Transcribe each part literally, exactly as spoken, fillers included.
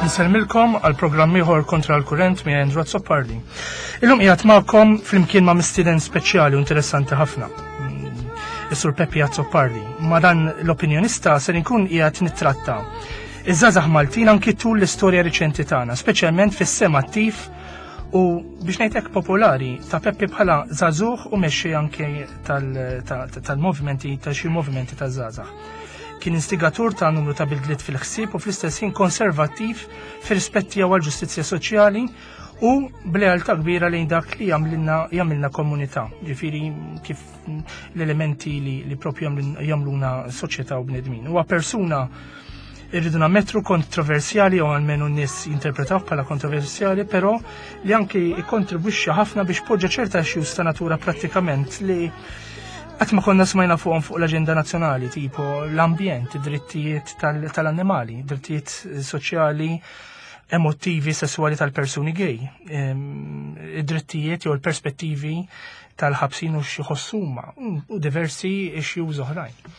Nsellmilkom għal programm ieħor Kontra l-Kurrent minn Andrew Azzopardi. Illum qiegħed magħkom flimkien ma' mistieden speċjali u interessanti ħafna. Mm, Is-Sur Peppi Azzopardi. Ma' dan l-opinjonista ser inkun qiegħed nittratta iż-żgħażagħ Maltin anki tul l-istorja riċenti tagħna, speċjalment fis-sehem attiv u biex ngħidlek popolari ta' Peppi bħala żagħżugħ u mexxi anke tal-movimenti ta' xi movimenti ta' żgħażagħ. Kien instigatur ta' numru ta' bidliet fil-ħsieb u fl-istess ħin konservattiv fir-rispett tiegħu għall-ġustizzja soċjali u b'lealtà kbira lejn dak li jagħmlilna jagħmilna komunità, ġifieri kif l-elementi li, li propju jagħmluna soċjetà u bnedmin. Huwa persuna, irridu nammettu, kontroversjali, u almenu n-nies jinterpretaw bħala kontroversjali, però li anki ikkontribwixxa ħafna biex poġġa ċerta issues ta' natura prattikament li qatt ma konna smajna fuqhom fuq l-aġenda nazzjonali, tipo l-ambjent, id-drittijiet tal-annimali, drittijiet soċjali, emotivi, sessuali tal-persuni gay, id-drittijiet jew l-perspettivi tal-ħabsin u xi u diversi issues oħrajn.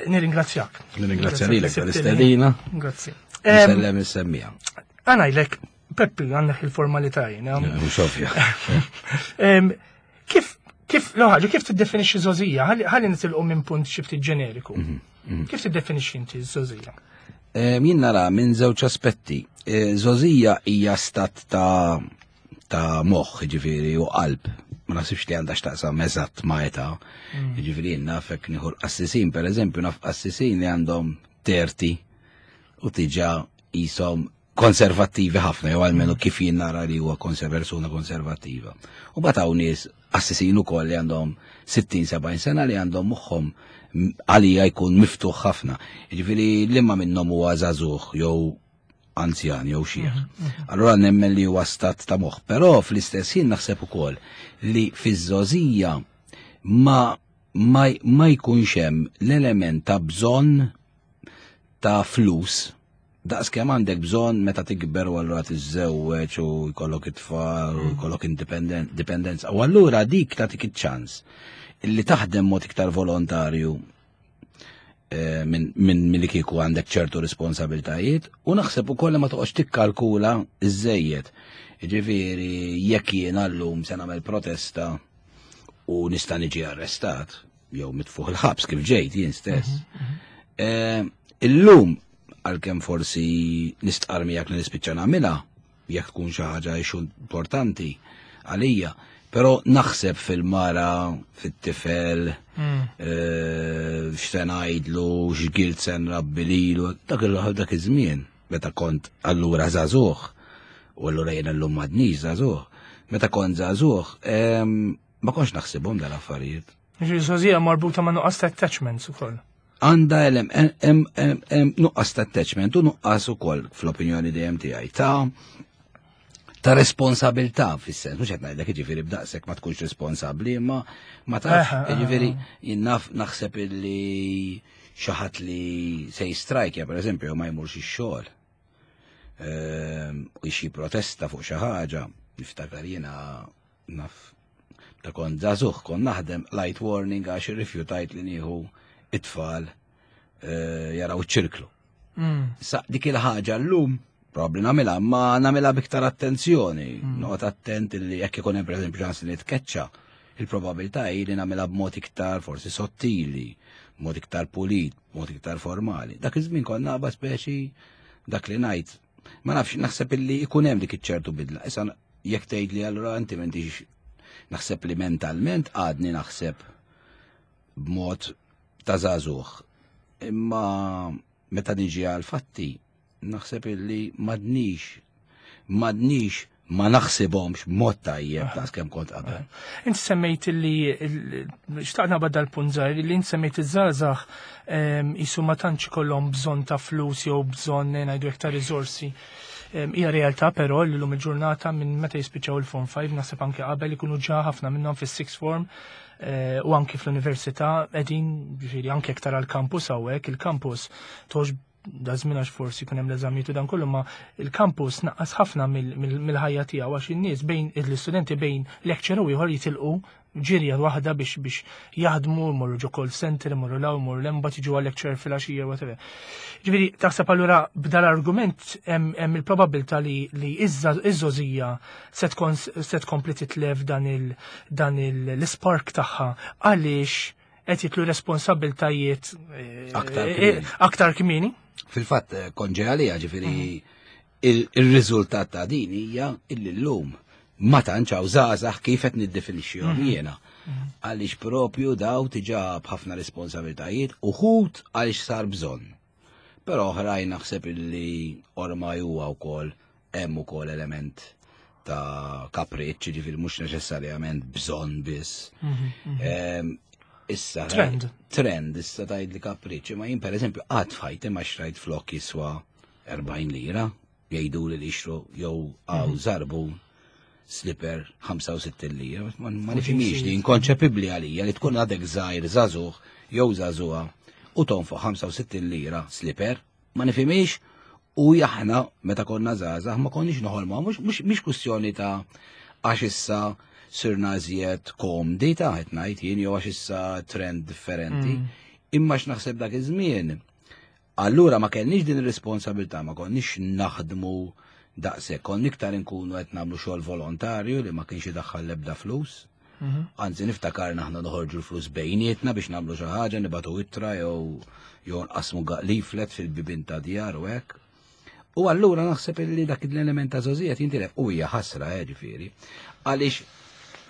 Nirringrazzjak. Nirringrazzja lilek tal-istedina. Grazzi. Nsellem is-semmiegħa. Għanajlek, Peppi, għandek il-formalità jiena. Mhux ovvja. Kif, kif, l-ħaġa, kif tiddefinixxi żgħożija? Ħalli nitilqu minn punt xi ftit ġeneriku. Mhm, mhm. Kif tiddefinixxi inti żgħożija? Jien nara minn żewġ aspetti. Żgħożija hija stat ta' ta' moħħ, ġifieri, u qalb. Ma naħsibx li għandha x'taqsam eżatt ma' età. Mm. Ġifieri nafek nieħu l-qassisin, per eżempju, naf qassisin li għandhom thirty u diġà jisom konservattivi ħafna, jew almenu mm. kif jien nara li huwa persuna konservattiva. U mbagħad hawn nies qassisin ukoll li għandhom sittin sebgħin sena li għandhom moħħhom għalija jkun miftuħ ħafna. Ġifieri liema minnhom huwa żagħżugħ jew anzjan jew xiħ? Mhm, mhm. Allura nemmen li huwa stat ta' moħħ, però fl-istess ħin naħseb ukoll li fiż-żgħożija ma ma, ma jkunx hemm l-element ta' bżonn ta' flus daqs kemm għandek bżonn meta tikber u allura tiżżewweġ u jkollok it-tfal u jkollok indipendenza. U allura dik tagħtik iċ-ċans illi taħdem mod iktar volontarju eh, minn min, min li kieku għandek ċertu responsabiltajiet u naħseb ukoll li ma toqgħodx tikkalkula iżejjed. Ġifieri jekk jien llum se nagħmel protesta u nista' niġi arrestat jew mitfuħ il-ħabs kif ġejt jien stess. Mhm, mhm. Eh, illum għalkemm forsi nistqar miegħek li nispiċċa nagħmilha jekk tkun xi ħaġa importanti għalija, però naħseb fil-mara, fit-tifel, mm. eh, x'se ngħidlu, x'gilt se nrabbi lilu, dak dak iż-żmien meta kont allura żagħżugħ, u allura jiena llum m'għadnix żagħżugħ, meta kont żagħżugħ, ma kontx naħsibhom dal-affarijiet. Ġifieri marbuta ma' nuqqas ta' attachments ukoll. Għandha nuqqas ta' attachment u nuqqas ukoll, fl-opinjoni dejjem tiegħi, ta' ta' responsabilità fis-sens, mhux qed ngħidlek jiġifieri b'daqshekk ma tkunx responsabbli, imma ma taf, jiġifieri jien naf naħseb illi xi ħadd li se jistrajkja, pereżempju, ma jmurx ix-xogħol. Ehm, u xi protesta fuq xi ħaġa, niftakar jiena naf ta' kont żagħżugħ, kont naħdem, light warning għax irrifjutajt li nieħu it-tfal eh, jaraw ċirklu. Mm. Sa dik il-ħaġa llum probabli nagħmilha, ma nagħmilha biktar attenzjoni. Mm. Noqgħod attent li jekk ikun hemm, pereżempju, ċans li nitkeċċa, il-probabilità hi li nagħmilha b'mod iktar forsi sottili, b'mod iktar pulit, b'mod iktar formali. Dak iż-żmien konna naqba speċi dak li ngħid. Ma nafx, naħseb illi ikun hemm dik iċ-ċertu bidla. Issa jekk tgħid li allura inti m'intix, naħseb li mentalment għadni naħseb b'mod ta' żagħżugħ. Imma meta niġi għal fatti, naħseb illi m'għadnix, m'għadnix ma naħsibhomx b'mod tajjeb ta' kemm kont qabel. Inti semmejt li, xtaqna badda l-punt żgħir, li inti semmejt iż-żgħażagħ jisu ma tantx kollhom bżonn ta' flus jew bżonn, ngħidu, iktar riżorsi. Hija realtà però li llum il-ġurnata, minn meta jispiċċaw il-Form five, naħseb anke qabel, ikunu ġa ħafna minnhom fis-sixth form eh, u anke fl-università qegħdin, ġifieri anke iktar għall-campus hawnhekk, il-campus tox da żmien għax forsi jkun hemm l-eżamijiet u dan kollu, ma il-campus naqqas ħafna mill-ħajja tiegħu għax in-nies bejn l-istudenti bejn lecture u ieħor jitilqu ġirja waħda biex biex jaħdmu, morru ġo call center, morru law, morru lemba, tiġu għal lecture fil-għaxija, whatever. Ġifieri, taħseb allura b'dal argument hemm il-probabilità li li iż-żgħożija se tkompli titlef dan il dan l-spark tagħha għaliex qed jitlu responsabiltajiet aktar kmieni. Fil-fatt konġe għalija, ġifieri il-riżultat ta' din hija illi llum ma tantx hawn żgħażagħ kif qed niddefinixxihom jiena. Għaliex propju daw diġà b'ħafna responsabiltajiet uħud għaliex sar bżonn. Però oħrajn naħseb illi ormai huwa wkoll hemm ukoll element ta' kapriċċ, ġifieri mhux neċessarjament bżonn biss. Issa trend. Trend, issa tgħid li kapriċċ, ma jien pereżempju qatt f'ħajti ma xtrajt flok jiswa erbgħin lira, jgħidu li jixtru jew għaw żarbu slipper ħamsa u sittin lira, ma nifhimx li inkonċepibbli għalija li tkun għadek żgħir żagħżugħ jew żagħżugħa u tonfoq ħamsa u sittin lira slipper, ma nifhimx. U aħna meta konna żgħażagħ ma konniex noħolmu, mhux mhix kwistjoni ta' għax issa sirna iżjed komdi ta' qed ngħid jien jew għax issa trend differenti, imma x'naħseb dak iż-żmien. Allura ma kellniex din ir-responsabilità, ma konniex naħdmu daqshekk, konna iktar inkunu qed nagħmlu xogħol volontarju li ma kienx idaħħal l-ebda flus. Anzi niftakar aħna noħorġu l-flus bejnietna biex nagħmlu xi ħaġa, nibatu ittra jew jew nqasmu leaflet fil-bibien ta' djar u hekk. U allura naħseb li dak l-element ta' żgħożija jintilef u hija ħasra, ġifieri. Għaliex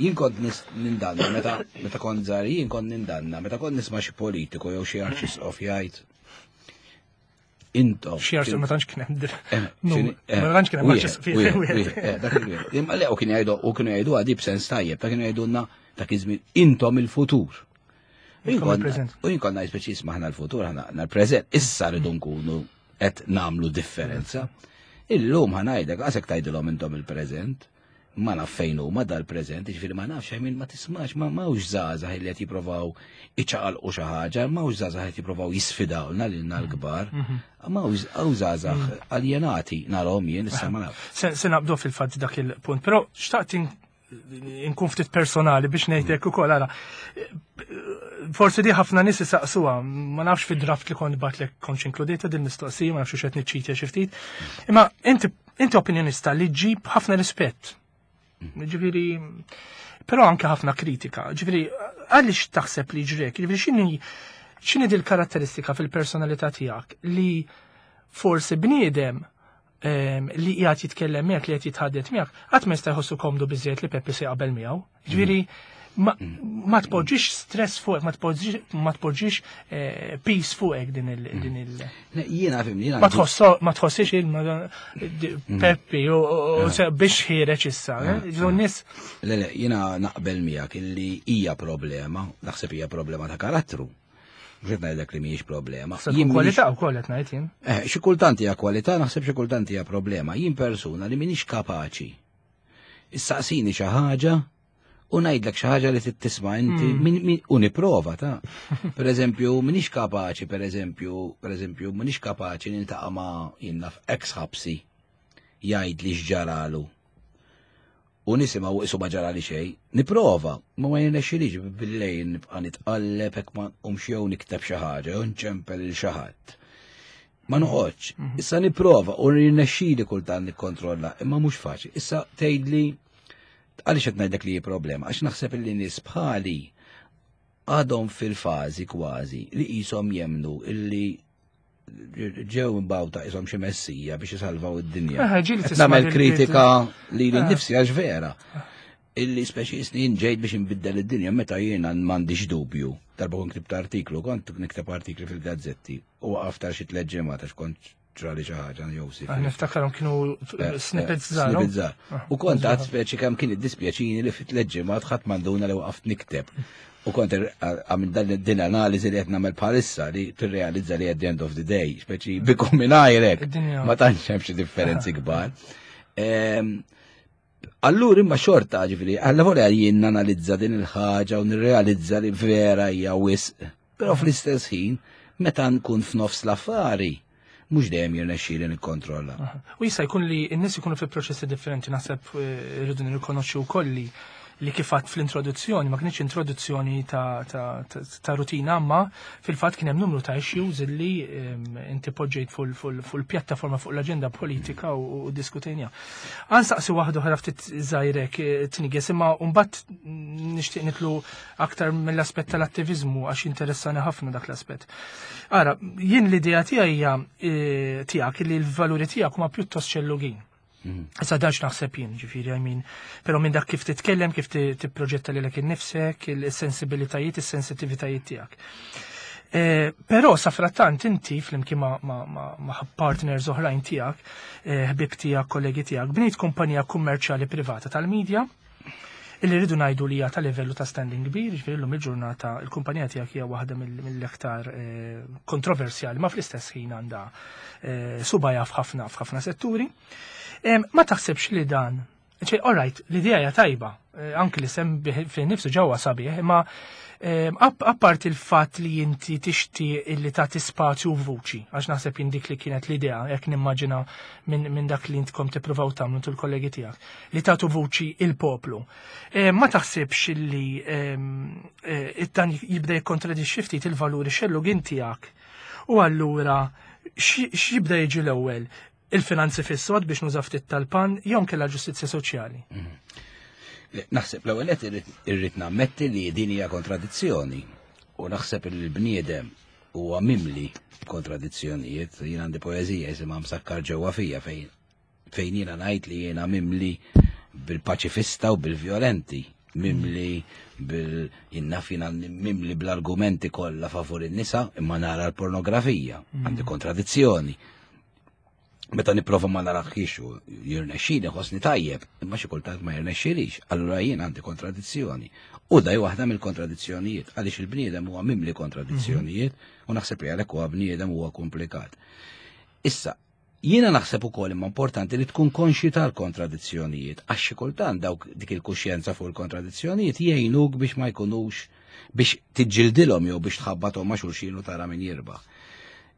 jien kont nindanna meta meta kont żgħar, jien kont nindanna meta kont nisma' xi politiku jew xi arċisqof jgħid intom. Xi arċisqof ma tantx kien hemm. Ma tantx kien hemm arċisqof. Dak il-wieħed. Imma le u kien jgħidu u kienu jgħidu għadi b'sens tajjeb, ta' kienu jgħidulna dak iż-żmien intom il-futur. U jien kont ngħid speċi isma' aħna l-futur, aħna l-preżent, issa rridu nkunu qed nagħmlu differenza. Illum ħa ngħidlek għasek tgħidilhom intom il-preżent, ma naf fejn huma dal-preżent, jiġifieri ma nafx min ma tismax, ma m'hawnx żgħażagħ li qed jippruvaw iċaqalqu xi ħaġa, m'hawnx żgħażagħ qed jippruvaw jisfidawna lilna l-kbar, m'hawnx hawn żgħażagħ aljenati narahom jien issa ma nafx. Se naqbdu fil-fatt dak il-punt, però xtaqt inkun ftit personali biex ngħidlek ukoll ara. Forsi di ħafna nies isaqsuha, ma nafx fid-draft li kont batlek kontx inkludejta din mistoqsija, ma nafx x'qed niċċitja xi ftit. Imma inti inti opinjonista li ġġib ħafna rispett. Ġifieri, però anke ħafna kritika. Ġifieri, għaliex taħseb li ġrek? Ġifieri x'inhi x'inhi dil karatteristika fil-personalità tiegħek li forsi bniedem li qiegħed jitkellem miegħek, li qed jitħaddet miegħek, qatt ma jista' jħossu komdu biżejjed li Peppi se jaqbel miegħu. Ġifieri ma tpoġġix stress fuqek, ma tpoġġix ma tpoġġix peace fuqek din il din il. Jiena fimni, jiena Ma tħosso ma tħossix il Peppi u biex ħireġ issa, ġifieri nies. Le le, jiena naqbel miegħek illi hija problema, naħseb hija problema ta' karattru. Mhux qed ngħidlek li mhijiex problema. Jien kwalità wkoll qed ngħid jien. Eh, xi kultant hija kwalità, naħseb xi kultant hija problema. Jien persuna li m'iniex kapaċi. Issaqsini xi ħaġa u ngħidlek xi ħaġa li tisma' inti u nipprova ta'. Pereżempju, m'iniex kapaċi, pereżempju, pereżempju, m'iniex kapaċi niltaqa' ma' jien naf ex ħabsi jgħid li x'ġaralu. U nisimgħu isu ma ġarali xejn, nipprova, ma ma jirnexxilix bil-lejl nibqa' nitqalleb hekk ma nqumx jew nikteb xi ħaġa jew nċempel lil xi ħadd. Ma noqgħodx. Issa nipprova u jirnexxili kultant nikkontrolla, imma mhux faċli. Issa tgħidli għaliex qed ngħidlek li hi problema, għax naħseb li nies bħali għadhom fil-fażi kważi li qishom jemnu illi ġew imbawta qishom xi messija biex isalvaw id-dinja. Nagħmel kritika li lili nnifsi għax vera. Illi speċi snin ġejt biex inbiddel id-dinja meta jiena m'għandix dubju. Darba kont ktibt artiklu, kont nikteb artikli fil-gazzetti u waqaft għal xi tliet ġimgħat għax kont ġrali xi ħaġa jew si. Niftakarhom kienu snippets żgħar. Snippets żgħar. U kont għad speċi kemm kien iddispjaċini li fi tliet ġimgħat ħadd m'għanduna li waqaft nikteb. U kont għamil dan din analiżi li qed nagħmel bħalissa li tirrealizza li at the end of the day, speċi bikom mingħajrek, ma tantx hemm xi differenzi kbar. Allura imma xorta ġifieri, alla volja jien nanalizza din il-ħaġa u nirrealizza li vera hija wisq, però fl-istess ħin meta nkun f'nofs l-affari mhux dejjem jirnexxieli nikkontrolla. U jista' jkun li n-nies ikunu fi proċessi differenti, naħseb irridu nirrikonoxxu wkoll li li kif għedt fl-introduzzjoni, ma kienx introduzzjoni ta', ta, ta, ta rutina, ma fil-fatt kien hemm numru ta' issues illi em, inti poġġejt fuq il-pjattaforma, fuq l-aġenda politika u, u diskutejna. Ħa nsaqsi waħda oħra ftit żgħirek eh, tniges, imma mbagħad nixtieq nidħlu aktar mill-aspett tal-attivizmu għax interessani ħafna dak l-aspett. Ara, jien l-idea tiegħi hija eh, tiegħek li l-valuri tiegħek huma pjuttost xellugin. Issa dax naħseb jien, ġifieri, I mean, però minn dak kif titkellem, kif ti- tipproġetta lilek innifsek, il-sensibilitajiet, is-sensitivitajiet tiegħek. Eh, Però safrattant inti flimkien ma, ma, ma, ma partners oħrajn tiegħek, eh, ħbib tiegħek, kollegi tiegħek, bnejt kumpanija kummerċjali privata tal-medja, illi rridu ngħidu li hija ta' livellu ta' standing kbir, ġifieri llum il-ġurnata il-kumpanija tiegħek hija waħda mill- mill-iktar eh, kontroversjali, ma fl-istess ħin għandha eh, subgħajha f'ħafna f'ħafna setturi. Em, Ma taħsibx li dan, ċe, all right, l-idea hija tajba, eh, anki li sem fi nifsu ġewwa sabiħ, imma em, app- apart il-fatt li inti tixtieq illi tagħti spazju u vuċi, għax naħseb jien dik li kienet l-idea, jekk nimmaġina minn min dak li intkom tippruvaw tagħmlu tu l-kollegi tiegħek, li tagħtu vuċi il-poplu. Eh, Ma taħsibx illi em, eh, dan jibda jikkontradixxi ftit il-valuri xellugin tiegħek. U allura x'jibda jiġi l-ewwel? Il-finanzi fis-sod, biex nuża ftit tal-pan, jew kella ġustizzja soċjali? Le, naħseb l-ewwel qed irrid- irrid nammetti li din hija kontradizzjoni u naħseb li l-bniedem huwa mimli kontradizzjonijiet. Jien għandi poeżija jisimha "Msakkar ġewwa fija" fejn fejn jiena ngħid li jiena mimli bil-paċifista u bil-violenti, mimli bil jinnaf jiena mimli bl-argumenti kollha favur in-nisa imma nara l-pornografija, għandi kontradizzjoni. Meta nipprova ma naraħħix u jirnexxili ħossni tajjeb, imma xi kultant ma jirnexxilix, allura jien għandi kontradizzjoni. U daj waħda mill-kontradizzjonijiet, għaliex il-bniedem huwa mimli kontradizzjonijiet u naħseb li għalhekk huwa bniedem, huwa komplikat. Issa, jiena naħseb ukoll imma importanti li tkun konxi tal-kontradizzjonijiet, għax xi kultant dawk dik il-kuxjenza fuq il-kontradizzjonijiet jgħinuk biex ma jkunux, biex tiġġildilhom jew biex tħabbathom ma' xulxin u tara min jirbaħ.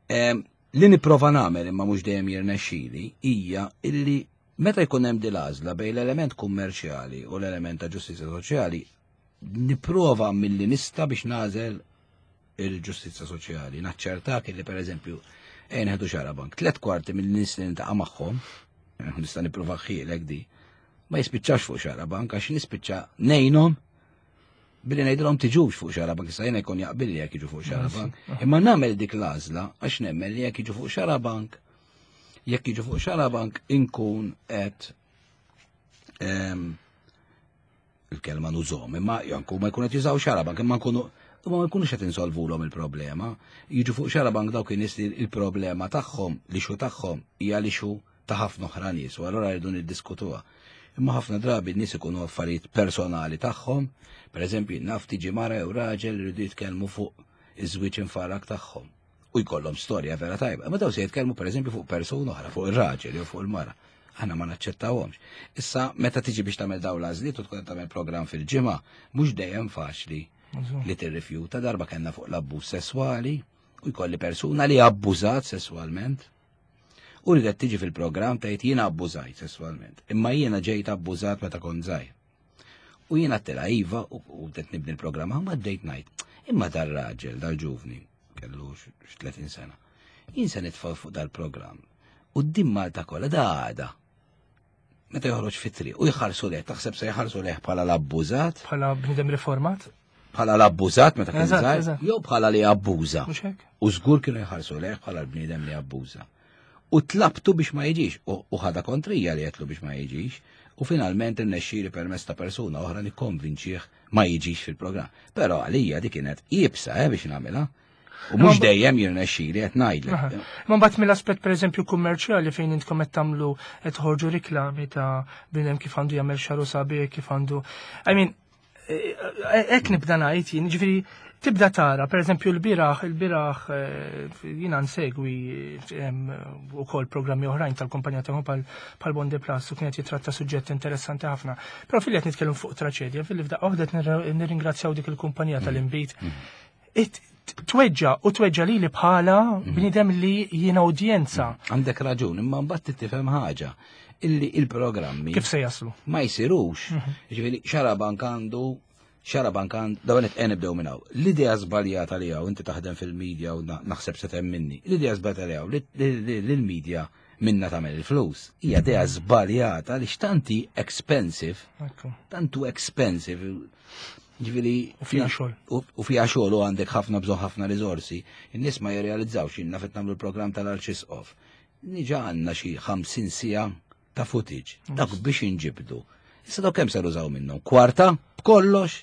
Em, Li nipprova nagħmel imma mhux dejjem jirnexxili hija illi meta jkun hemm din l-għażla bejn l-element kummerċjali u l-element ta' ġustizzja soċjali, nipprova milli nista' biex nagħżel il-ġustizzja soċjali. Naċċertak illi, pereżempju, ejn ħedu Xarabank, tliet kwarti mill-nies li niltaqa' magħhom, nista' nipprova ħielek di, ma jispiċċax fuq Xarabank għax nispiċċa ngħinhom billi ngħidilhom tiġux fuq Xarabank. Issa jiena jkun jaqbilli jekk jiġu fuq Xarabank. Imma nagħmel dik l-għażla għax nemmen li jekk jiġu fuq Xarabank, jekk jiġu fuq Xarabank inkun qed em, il-kelma nużom, imma janku ma jkun qed jużaw Xarabank, imma nkunu imma ma jkunux qed insolvulhom il-problema. Jiġu fuq Xarabank dawk in-nies li il-problema tagħhom, l-issue tagħhom hija l-issue ta' ħafna oħra nies, u allura rridu niddiskutuha. Imma ħafna drabi n-nies ikunu affarijiet personali tagħhom, per eżempju, naf tiġi mara jew raġel jridu jitkellmu fuq iż-żwieġ infarrak tagħhom. U jkollhom storja vera tajba. Imma daw se jitkellmu, pereżempju, fuq persuna oħra, fuq ir-raġel jew fuq il-mara. Aħna ma naċċettawhomx. Issa, meta tiġi biex tagħmel dawn l-għażliet u tkun tagħmel programm fil-ġimgħa, mhux dejjem faċli li tirrifjuta. Darba kellna fuq l-abbuż sesswali u jkolli persuna li abbużat sesswalment. U li tiġi fil-programm tgħid: "Jiena abbużajt sesswalment, imma jiena ġejt abbużat meta kont żgħir." U jiena għedtilha iva u u bdejt nibni l-programm, ma bdejt ngħid, imma dar-raġel, dal-ġuvni, kellu x tletin sena. Jien se nitfa' fuq dal-programm. U d Malta kollha da għada. Meta joħroġ fit-triq u jħarsu leh, taħseb se jħarsu leh bħala l-abbużat, Bħala bniedem riformat? Bħala l-abbużat meta kien Eżatt, żgħir, eżatt. jew bħala li abbuża? Mhux hekk? U żgur kienu jħarsu leh bħala l-bniedem li abbuża. U tlabtu biex ma jiġix, u u ħada kontrija li għedtlu biex ma jiġix, u finalment irnexxieli permezz ta' persuna oħra nikkonvinċih ma jiġix fil-programm. Però għalija di kienet iebsa eh, biex nagħmilha. U mhux dejjem jirnexxieli, qed ngħidlek. Ma mbagħad mill-aspett, pereżempju, kummerċjali, fejn intkom qed tagħmlu, qed toħorġu riklami ta' bniedem kif għandu jagħmel xagħru sabiħ, kif għandu, I mean, hekk nibda ngħid jien, ġifieri tibda tara, pereżempju l-bieraħ, il-bieraħ eh, jiena nsegwi ukoll programmi oħrajn tal-kumpanija tagħhom bħal Bonde Plus u kienet jitratta suġġett interessanti ħafna. Però fil qed nitkellem fuq traċedja, fil f'daqqa waħda qed nirringrazzjaw dik il-kumpanija tal-inbid. Tweġġa u tweġġa lili bħala bniedem li jiena udjenza. Għandek raġun, imma mbagħad tifhem ħaġa illi il-programmi kif se jaslu? Ma jsirux. Ġifieri Xarabank għandu Xarabank għandu dawn qed nibdew minn hawn. L-idea żbaljata li hawn inti taħdem fil-medja u naħseb se minni. L-idea żbaljata li hawn li l-medja minna tagħmel il-flus. Hija idea żbaljata li x'tanti expensive. Tantu expensive. Ġifieri u fiha xogħol. U fiha xogħol u għandek ħafna bżonn ħafna riżorsi. In-nies ma jirrealizzawx jien naf nagħmlu l-programm tal-Arċisqof. Niġa għandna xi ħamsin siegħa ta' footage. Dak biex inġibdu. Issa dawk kemm ser użaw minnhom? Kwarta b'kollox.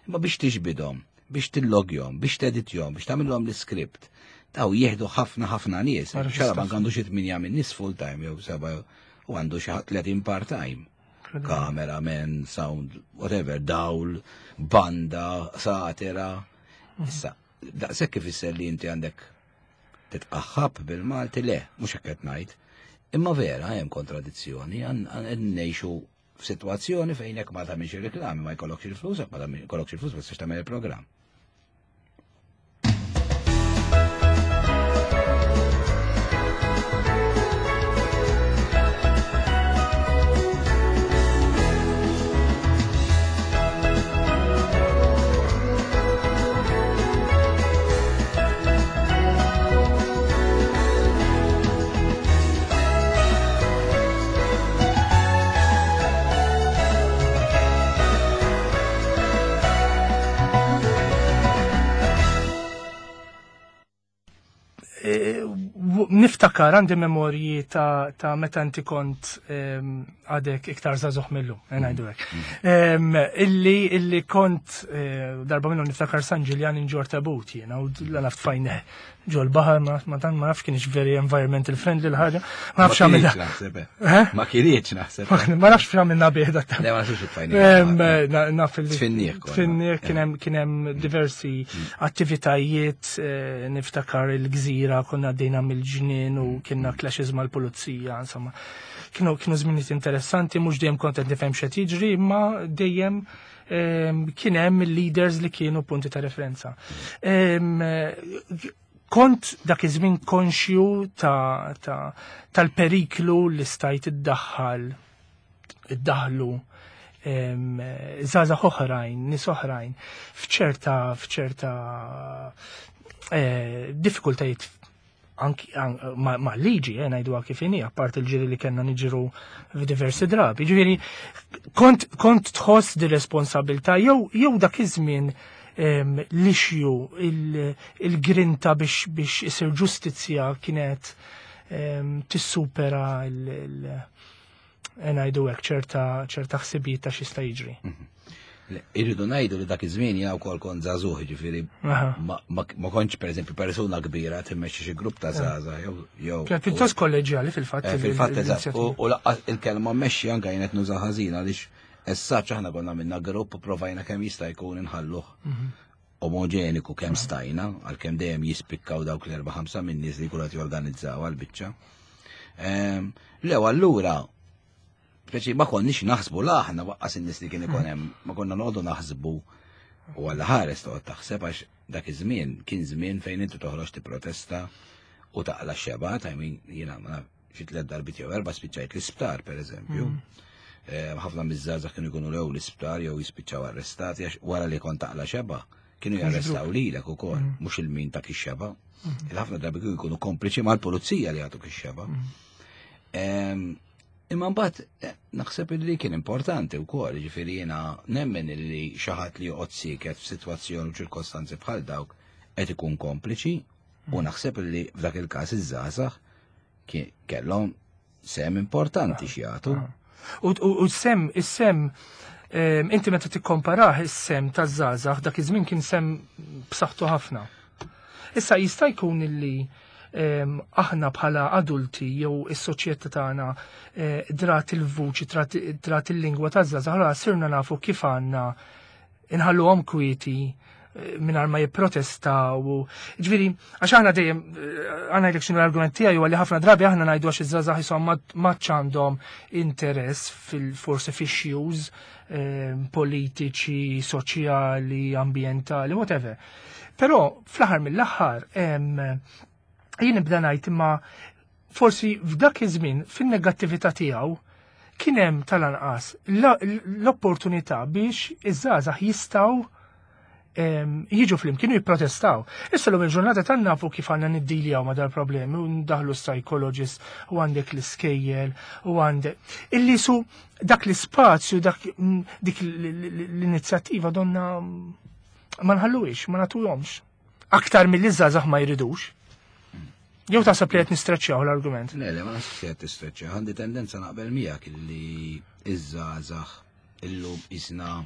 Imma biex tiġbidhom, biex tillogjhom, biex teditjhom, biex tagħmilhom l-iskript. Daw jieħdu ħafna ħafna nies. Xarabank għandu xi tminja minn nies full time jew seba' u għandu xi tletin part time. Cameraman, sound, whatever, dawl, banda, satira. Issa, daqshekk ifisser li inti għandek titqaħħab bil-Malti, le, mhux hekk qed ngħid. Imma vera hemm kontradizzjoni, qed ngħixu f'sitwazzjoni fejn jekk ma tagħmilx ir-reklami ma jkollokx il-flus, jekk ma jkollokx il-flus ma tistax tagħmel il-programm. Niftakar għandi memorji ta', ta meta inti kont għadek iktar żagħżugħ millum, ngħidu hekk. Illi illi kont darba minnhom niftakar San Ġiljan inġor tabut jiena u la naf tfajneh ġol baħar ma tant ma nafx kienx very environmental friendly l-ħaġa. Ma nafx għamilna. Ma kienx naħseb. Ma nafx x'għamilna bih dak. Le ma nafx tfajnieh. Naf il Tfinnieh kien hemm kien hemm diversi attivitajiet, niftakar il-gżira konna għaddejna mill-ġnien u kienna clashes mal-pulizija, insomma. Kienu kienu żminijiet interessanti, mhux dejjem kont qed nifhem x'qed jiġri, imma dejjem kien hemm il-leaders li kienu punti ta' referenza. Kont dak iż-żmien konxju ta' ta' tal-periklu li stajt iddaħħal iddaħlu żgħażagħ oħrajn, nies oħrajn f'ċerta f'ċerta diffikultajiet anki ma' liġi, eh, ngħiduha kif inhi, apparti il-ġiri li kellna niġru f'diversi drabi. Ġifieri kont kont tħoss di responsabilità jew jew dak iż-żmien l-issue, il-grinta biex biex isir ġustizzja kienet tissupera il ngħidu hekk ċerta ċerta ħsibijiet ta' x'jista' jiġri. Irridu ngħidu li dak iż-żmien jiena wkoll kont żagħżugħ, jiġifieri ma kontx pereżempju persuna kbira timmexxi xi grupp ta' żgħażagħ jew jew. Kien pjuttost kolleġjali fil-fatt. Fil-fatt eżatt. U laqqas il-kelma mmexxi anke jien qed nuża ħażin għaliex essaċ aħna konna minna grupp u provajna kemm jista' jkun inħalluh omogeniku kemm stajna, għalkemm dejjem jispikkaw dawk l-erba' ħamsa minn nies li jkunu qed jorganizzaw għall-biċċa. Lew allura speċi ma konniex naħsbu la aħna waqqas in-nies li kien ikun hemm, ma konna noqogħdu naħsbu u għalla ħares toqgħod taħseb għax dak iż-żmien kien żmien fejn inti toħroġ tipprotesta u taqla x-xebgħat, I mean jiena ma naf xi tliet darbiet jew erba' spiċċajt l-isptar pereżempju. Ħafna miż-żgħażagħ kienu jkunu lew l-isptar jew jispiċċaw arrestati għax wara li kont taqla xebgħa kienu jarrestaw lilek ukoll, mhux il-min ta' ix-xebgħa. Il-ħafna drabi kienu jkunu kompliċi mal-pulizija li jagħtuk ix-xebgħa. Imma mbagħad naħseb li kien importanti wkoll, jiġifieri jiena nemmen li xi ħadd li joqgħod sieket f'sitwazzjoni u ċirkostanzi bħal dawk qed ikun kompliċi u naħseb li f'dak il-każ iż-żgħażagħ kellhom sem importanti x'jagħtu. U sem, is-sem, inti meta tikkomparah is-sem taż-żgħażagħ dak iż-żmien kien sem b'saħħtu ħafna. Issa jista' jkun illi aħna bħala adulti jew is-soċjetà tagħna drat il-vuċi, drat il-lingwa taż-żgħażagħ, allura sirna nafu kif għandna inħalluhom kwieti mingħajr ma jipprotestaw. Ġifieri, għax aħna dejjem għandna jlek x'inhu l-argument tiegħi huwa li ħafna drabi aħna ngħidu għax iż-żgħażagħ isom ma għandhom interess fil-forsi f'issues politiċi, soċjali, ambjentali, whatever. Però fl-aħħar mill-aħħar jien nibda ngħid imma forsi f'dak iż-żmien fin-negattività tiegħu kien hemm tal-anqas l-opportunità biex iż-żgħażagħ jistgħu jiġu flimkien u jipprotestaw. Issa l il-ġurnata tan nafu kif għandna niddiljaw ma dal-problemi u ndaħlu psychologist u għandek l-iskejjel u għandek. Illi su dak l-ispazju, dak dik l-inizjattiva donna ma nħalluhiex, ma nagħtuhomx. Aktar mill żgħażagħ ma jridux. Jew taħseb li qed nistreċċjaw l-argument? Le, le, ma naħsibx li qed tistreċċja. Għandi tendenza naqbel miegħek illi iż-żgħażagħ illum isna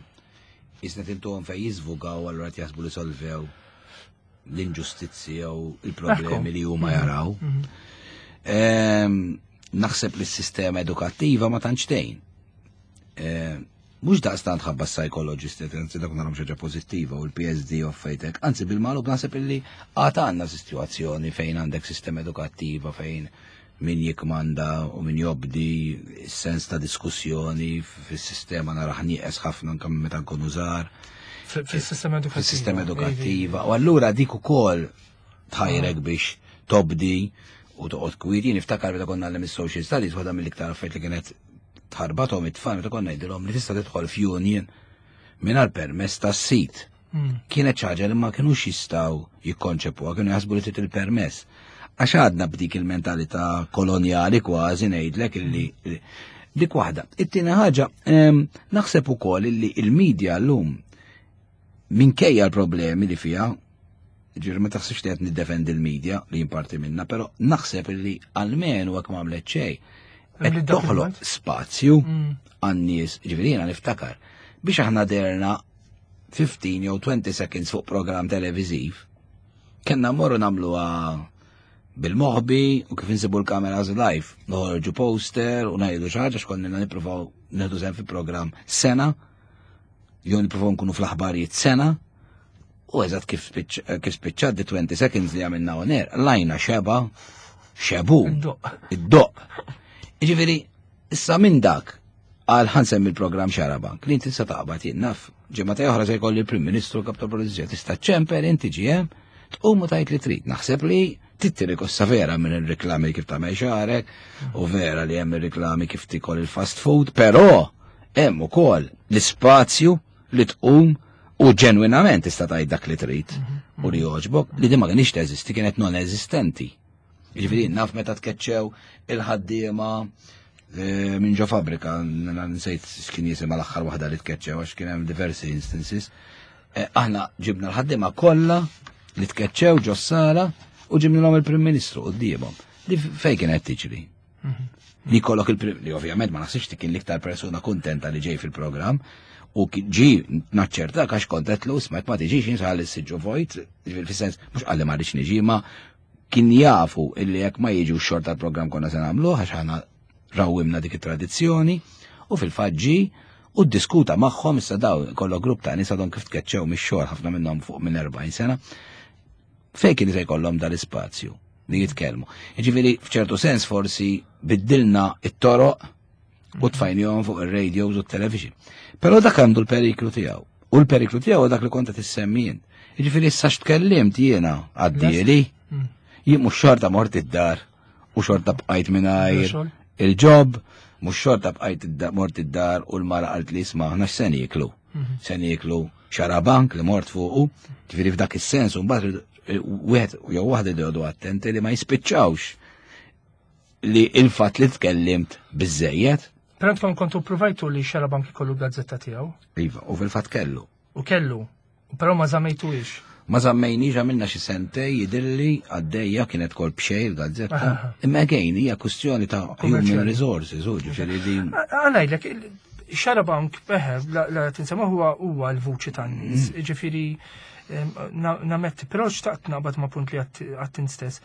isna tintuhom fejn jiżvugaw, allura qed jaħsbu li solvew l-inġustizzi jew il-problemi li huma jaraw. Naħseb li s-sistema edukattiva ma tantx tgħin. Mhux daqstant ħabba psychologist, anzi dak narhom xi ħaġa pożittiva u l-P S D offejtek, anzi bil-magħlub naħseb illi għad għandna sitwazzjoni fejn għandek sistema edukattiva fejn min jikmanda u min jobdi, sens ta' diskussjoni fis-sistema naraħ nieqes ħafna anke meta nkunu żgħar. Fis-sistema edukattiva. Fis-sistema edukattiva. U allura dik ukoll tħajrek biex tobdi u toqgħod kwiet. Jien niftakar meta konna nagħmel social studies, waħda mill-iktar affarijiet li kienet tħarbathom it-tfal meta konna ngħidilhom li tista' tidħol f'union mingħajr permess tas-sid. Kienet ħaġa li ma kinux jistgħu jikkonċepuha, kienu jaħsbu li trid il-permess. Għax għadna b'dik il-mentalità kolonjali kważi ngħidlek illi dik waħda. It-tieni ħaġa, naħseb ukoll illi il-medja llum minkejja l-problemi li fiha, ġifieri ma taħsibx li qed niddefendi l-medja li jimparti minna, però naħseb illi almenu hekk ma għamlet xejn qed toħloq spazju għan-nies, ġifieri jiena niftakar biex aħna derna fifteen jew twenty seconds fuq programm televiżiv, kellna mmorru nagħmluha bil-moħbi u kif insibu l-kameras live, noħorġu poster u ngħidu xi ħaġa x'konna nippruvaw nieħdu sehem fi programm sena, jew nippruvaw nkunu fl-aħbarijiet sena, u eżatt kif spiċċat di twenty seconds li għamilna on air, lajna xeba, xebu, id-doq. Ġifieri, issa minn dak għal ħansemmi il-programm Xarabank, li inti tista' taqbad jien naf, ġimgħa oħra se jkolli il-Prim Ministru, kap tal-Pulizija, tista' ċemper inti ġiem, tqum u tajt li trid. Naħseb li tittiri kossa vera minn il-reklami kif tagħmel xagħrek u vera li hemm ir-reklami kif tikol il-fast food, però hemm ukoll l-ispazju li tqum u ġenwinament tista' tgħid dak li trid u li jogħġbok, li din ma kienx teżisti, kienet non eżistenti. Ġifieri naf meta tkeċċew il-ħaddiema minn ġo fabbrika, nsejt x'kien jisimha l-aħħar waħda li tkeċċew għax kien hemm diversi instances. Aħna ġibna l-ħaddiema kollha li tkeċċew ġo s-sala u ġibnilhom il-Prim Ministru quddiemhom. Li fejn kienet tiġri? Li kollok il-Prim, li ovvjament ma naħsibx kien l-iktar persuna kuntenta li ġej fil-programm u ġi naċċerta għax kontet lu smajt ma tiġix jinsħal is-siġġu vojt, fis-sens mhux qalli ma rridx niġi, ma kien jafu illi jekk ma jiġu x-xorta tal-programm konna se nagħmluh għax aħna rawwimna dik it-tradizzjoni u fil-fatt ġi u ddiskuta magħhom. Issa daw kollok grupp ta' nies għadhom kif tkeċċew mix-xogħol, ħafna minnhom fuq minn erbgħin sena, fejn kien se jkollhom dal-ispazju li jitkellmu. Jiġifieri f'ċertu sens forsi biddilna it-toroq u tfajnihom fuq ir-radios u t-television. Però dak għandu l-periklu tiegħu. U l-periklu tiegħu dak li kont qed issemmi jien. Jiġifieri issa x'tkellimt jiena għaddieli, jien mhux xorta mort id-dar u xorta bqajt mingħajr il-job, mhux xorta bqajt mort id-dar u l-mara qalt li isma' aħna x'se nieklu. Se nieklu xarabank li mort fuqu, ġifieri f'dak is-sens u mbagħad wieħed jew waħda jdodu attenti li ma jispiċċawx li il-fatt li tkellimt biżejjed. Però intkom kontu provajtu li Xarabank ikollu gazzetta tiegħu? Iva, u fil-fatt kellu. U kellu, però ma żammejtuhiex. Ma żammejniex, għamilna xi sentej jidhirli għaddejja kienet kol b'xejn il-gazzetta. Imma again hija kwistjoni ta' human resources, u ġifieri din. Ngħidlek, Xarabank, eħe, la tinsema huwa huwa l-vuċi tan-nies, ġifieri nametti, però xtaqt naqbad ma' punt li għattin stess.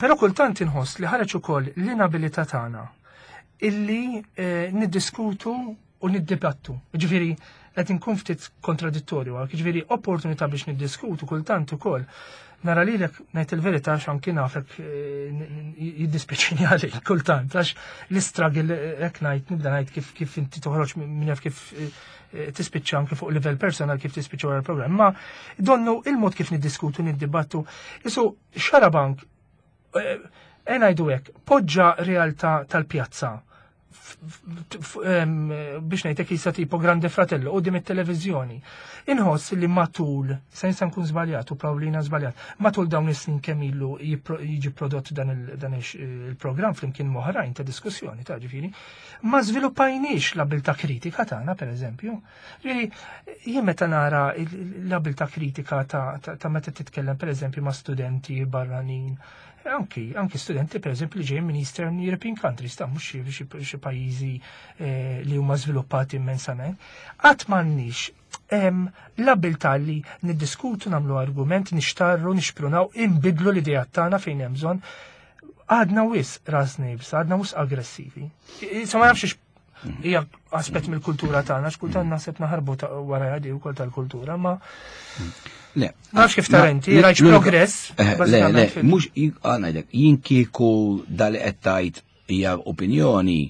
Però kultant inħoss li ħareġ ukoll l-inabilità tagħna illi niddiskutu u niddibattu. Ġifieri, qed inkun ftit kontradittorju, ġifieri opportunità biex niddiskutu kultant ukoll. Nara lilek, ngħid il-verità, x'anki nafek eh, jiddispjaċini għalik kultant, għax l-istruggle hekk ngħid, nibda ngħid kif kif inti toħroġ minn jaf kif eh, tispiċċa anke fuq livell personal kif tispiċċa wara l-programm. Ma donnu il-mod kif niddiskutu, niddibattu, isu Xarabank, eh, ngħidu hekk, poġġa realtà tal-pjazza biex ngħidlek jisa tipo Grande Fratello quddiem it-televiżjoni. Inħoss li matul, se nista' nkun żbaljat u Pawlina żbaljat, matul dawn is-snin kemm ilu jiġi prodott dan il-programm flimkien m'oħrajn ta' diskussjoni ta' ġifieri, ma żviluppajniex l-abilità kritika tagħna pereżempju. Ġifieri jien meta nara l-abilità kritika ta' meta titkellem pereżempju ma' studenti barranin, anki, anki studenti per eżempju li ġejjin minn Eastern European countries, ta' mhux xi pajjiżi eh, li huma żviluppati immensament, qatt m'għandniex l-abilità li niddiskutu, nagħmlu argument, nixtarru, nixprunaw, inbidlu l-idea tagħna fejn hemm bżonn. Għadna wisq rasna iebsa, għadna wisq aggressivi. Issa ma nafx hija aspett mill-kultura tagħna, x'kultant naħseb naħarbu wara għadi wkoll tal-kultura, ma Le. Nafx kif tara inti, rajt progress. Eh, le, le, mhux ngħidlek, jien kieku dali qed tgħid hija opinjoni,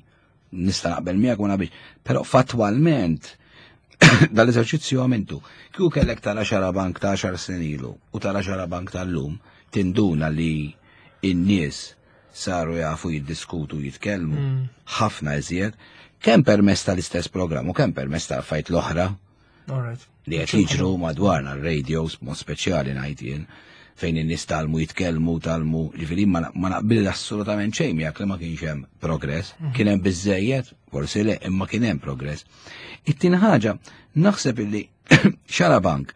nista' naqbel miegħek u naqbel, però fattwalment dal-eżerċizzju għamiltu. Kieku kellek tara Xarabank ta' għaxar snin ilu u tara Xarabank tal-lum, tinduna li in-nies saru jafu jiddiskutu, jitkellmu mm. ħafna iżjed, kemm permess tal-istess programm u kemm permess tal-fajt l-oħra li qed jiġru madwarna, r-radios, mod speċjali ngħid jien, fejn in-nies tgħallmu jitkellmu, tgħallmu, ġifieri ma naqbil assolutament xejn miegħek li ma kienx hemm progress. Mhm. Kien hemm biżejjed, forsi le, imma kien hemm progress. It-tieni ħaġa, naħseb illi Xarabank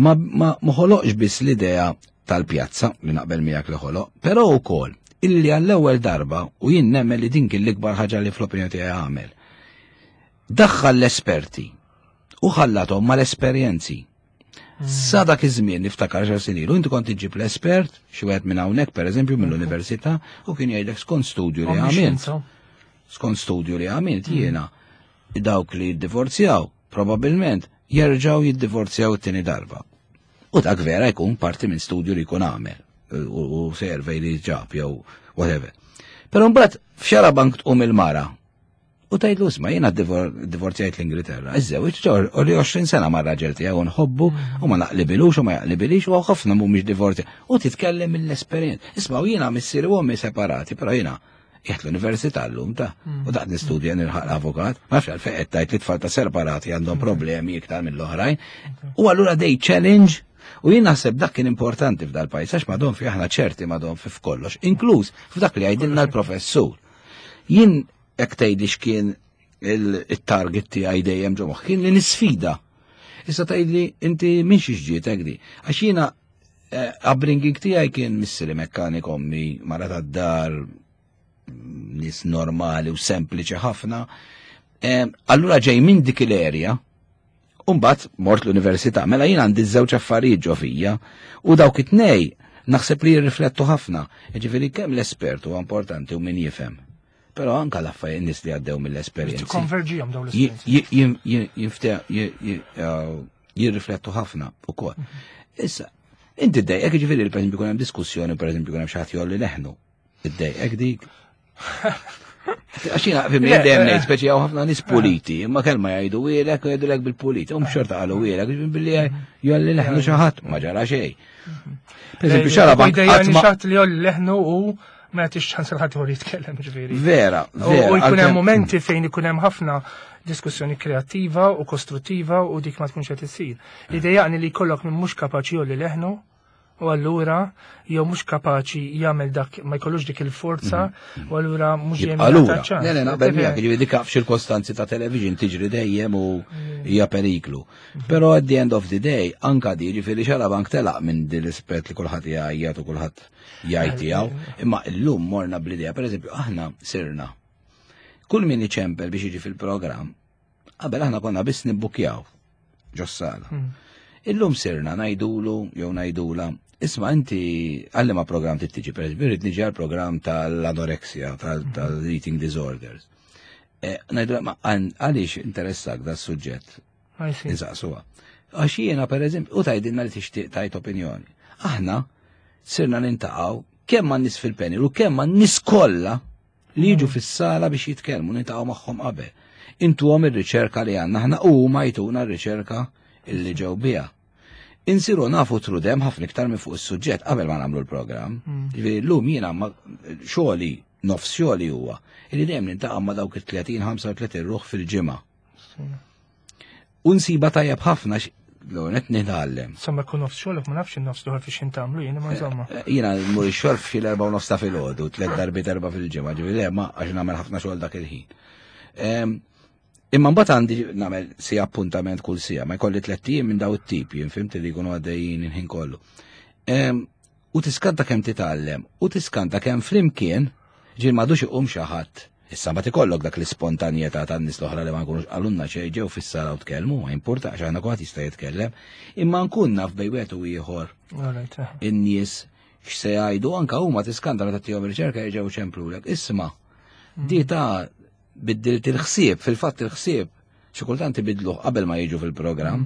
ma ma ħoloqx biss l-idea tal-pjazza li naqbel miegħek li ħoloq, però wkoll illi għall-ewwel darba, u jien nemmen li din kien l-ikbar ħaġa li fl-opinjoni tiegħi għamel. Daħħal l-esperti u ħallathom mal-esperjenzi. Sa dak iż-żmien, niftakar għaxar snin ilu, inti kont iġġib l-espert, xi wieħed minn hawnhekk pereżempju mill-università, u kien jgħidlek skont studju li għamilt. Skont studju li għamilt jiena, dawk li jiddivorzjaw probabbilment jerġgħu jiddivorzjaw it-tieni darba. U dak vera jkun parti minn studju li jkun għamel u u survey li ġab jew whatever. Però mbagħad f'Xarabank tqum il-mara u tgħidlu, "Isma', jiena divor- divorzjajt l-Ingilterra. Iżżewġ u li għoxrin sena ma' raġel tiegħu nħobbu u ma naqlibilux u ma jaqlibilix u ħafna mhumiex divorzja." U titkellem mill-esperjenza. "Isma', u jiena missieri u ommi separati, però jiena qiegħed l-università llum ta' u daqt nistudja nilħaq l-avukat, ma nafx għalfejn qed tgħid li tfal ta' separati għandhom problemi iktar mill-oħrajn." U allura they challenge. U jien naħseb dak kien importanti f'dal pajjiż għax madon fi aħna ċerti madon fi f'kollox, inkluż f'dak li jgħidilna l-professur. Jien hekk tgħidli x'kien il-target tiegħi dejjem ġo moħħ kien li nisfida. Issa tgħidli inti minn xiex ġietek di? Għax jiena eh, upbringing tiegħi kien missieri mekkanik, ommi mara tad-dar, nies normali u sempliċi ħafna. Eh, Allura ġej minn dik l-area, Umbat mort l-università, mela jien għandi żewġ affarijiet ġo fija u dawk it-tnej naħseb li jirriflettu ħafna. Ġifieri kemm l-espert huwa importanti u min jifhem. Però anka l-affarijiet nies li għaddew mill-esperjenzi. Tikkonverġihom dawn Ji- l-esperjenzi. ji- jim- jim- jinfte- ji- ji- uh, jirriflettu ħafna ukoll. Issa, inti ddejqek ġifieri per eżempju jkun hemm diskussjoni, per eżempju jkun hemm xi ħadd jgħolli leħnu. Iddejqek dik? Għax jiena fi Le, dejjem eh. ngħid speċi hawn ħafna nies puliti, imma kelma jgħidu wielek u jgħidulek bil-puliti, um xorta qalu wielek, billi jgħolli leħnu xi ħadd ma ġara xejn. Per eżempju, Xarabank Idejja qatt ma xatt li jgħolli leħnu u ma jagħtix ċans il ħadd ieħor jitkellem, ġifieri. Vera, U vera. u jkun hemm għalkemm- momenti fejn ikun hemm ħafna diskussjoni kreattiva u kostruttiva u dik ma tkunx qed issir. Idejjaqni li jkollok min mhux kapaċi jgħolli leħnu u allura jew mhux kapaċi jagħmel dak, ma jkollux dik il-forza u allura mhux dejjem Jibqa' lura. jingħata ċans. Le, le, naqbel miegħek, ġifieri dik f'ċirkostanzi ta' television tiġri dejjem u hija periklu. Però at the end of the day, anka di ġifieri Xarabank telaq minn din l-ispett li kulħadd jgħajjat u kulħadd jgħid tiegħu, imma llum morna bl-idea, pereżempju, aħna sirna. Kull min iċempel biex jiġi fil-programm, qabel aħna konna biss nibbukjaw ġos-sala. Illum sirna ngħidulu jew ngħidula, "Isma', inti għal liema programm trid tiġi?" Per eżempju, rrid niġi għal programm tal-anoreksja, tal-eating disorders. Ngħidu ma għaliex interessak da suġġett. Insaqsuha. Għax jiena pereżempju, u tgħidilna li tixtieq tajt opinjoni. Aħna sirna nintaqgħu kemm ma' nies fil-panel u kemm ma' nies kollha li jiġu fis-sala biex jitkellmu, nintaqgħu magħhom qabel. Intuhom ir-riċerka li għandna aħna u huma jtuna r-riċerka illi ġew biha. Insiru nafu trudem ħafna iktar minn fuq is-suġġett qabel ma nagħmlu l-programm. Ġifieri llum jiena xogħli, nofs xogħli huwa illi dejjem nintaqa' ma' dawk it-tletin ħamsa u tletin ruħ fil-ġimgħa. U nsiba tajjeb ħafna l-għonet nitgħallem. Insomma, kun nofs xogħlok ma nafx in-nofs l-ieħor fiex intamlu jiena ma insomma. Jiena mmur ix-xogħol f'xi l-erba' u nofs ta' filgħodu, tliet darbiet erba' fil-ġimgħa, ġifieri le ma għax nagħmel ħafna xogħol dak il-ħin. Imma mbagħad għandi nagħmel si appuntament kull sija, ma jkolli tliet ijiem minn daw it-tip, jien fimt li jkunu għaddejjin il-ħin kollu. U tiskanta kemm titgħallem, u tiskanta kemm flimkien ġiel m'għadux iqum xi ħadd. Issa ma tikollok dak l-ispontanjetà tan-nies l-oħra li ma nkunux qalulna xejn ġew fis-sala u tkellmu, ma importax aħna kulħadd jista' jitkellem, imma nkun naf bejn wieħed u ieħor in-nies x'se jgħidu, anke huma tiskanta meta tagħtihom riċerka jerġgħu ċemplulek. Isma' di ta' biddilt il-ħsieb, fil-fatt il-ħsieb xi kultant ibidluh qabel ma jiġu fil-programm.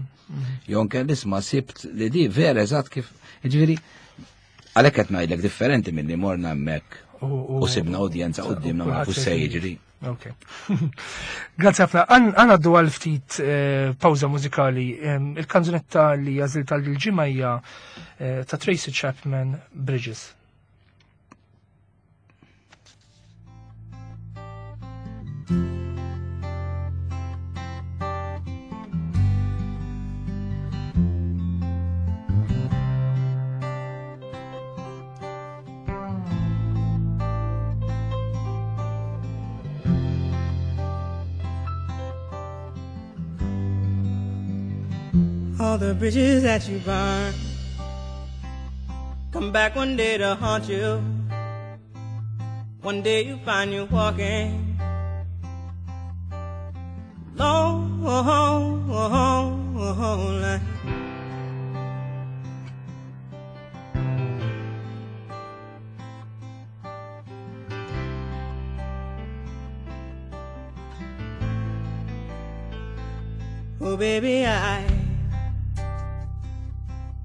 Jew anke isma' sibt li di vera eżatt kif, jiġifieri għalhekk qed ngħidlek differenti milli morna hemmhekk u sibna udjenza qudiemna ma nafux se jiġri. Ok. Grazzi ħafna. Għan għaddu għal ftit pawża mużikali. Il-kanzunetta li għażilt għal il-ġimgħa hija ta' Tracy Chapman, Bridges. All the bridges that you burn come back one day to haunt you. One day you find you walking long, line. Oh baby, I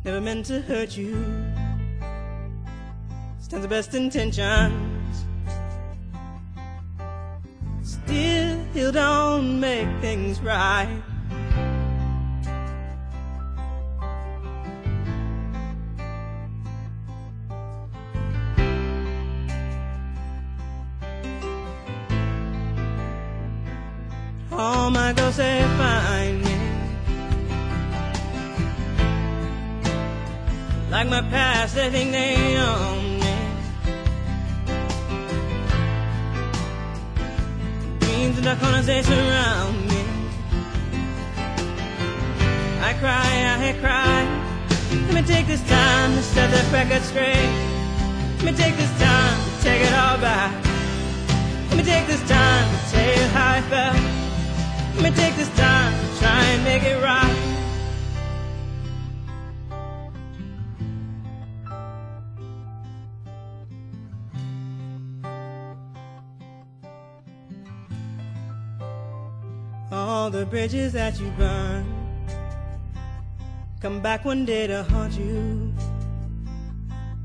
never meant to hurt you. Stands the best intentions. Still don't make things right. All my ghosts, they find me. Like my past, they think they own me. Dreams in the corners, they surround me. I cry, I cry. Let me take this time to set the record straight. Let me take this time to take it all back. Let me take this time to tell you how I felt. Let me take this time to try and make it right. All the bridges that you burn come back one day to haunt you.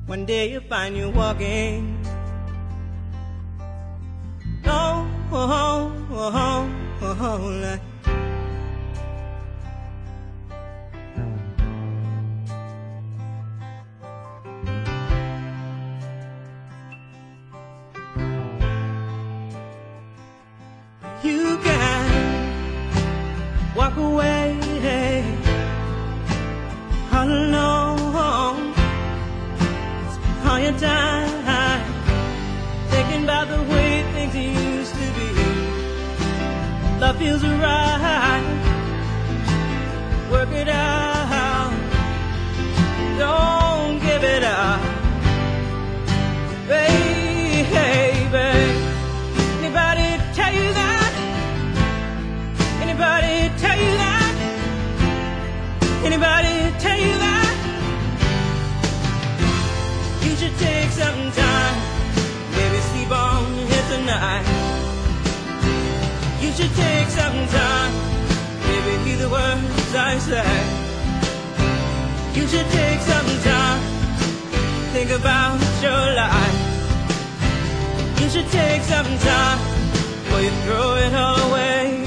One day you'll find you walking oh, oh, oh, oh, oh, You can walk away all alone. Spend all your time thinking about the way things used to be. Love feels right. Work it out. Don't give it up, baby. Anybody tell you that? Anybody tell you that? Anybody tell you that? You should take some time, maybe sleep on here tonight. should take some time, baby, hear the words I say. You should take some time, think about your life. You should take some time before you throw it all away.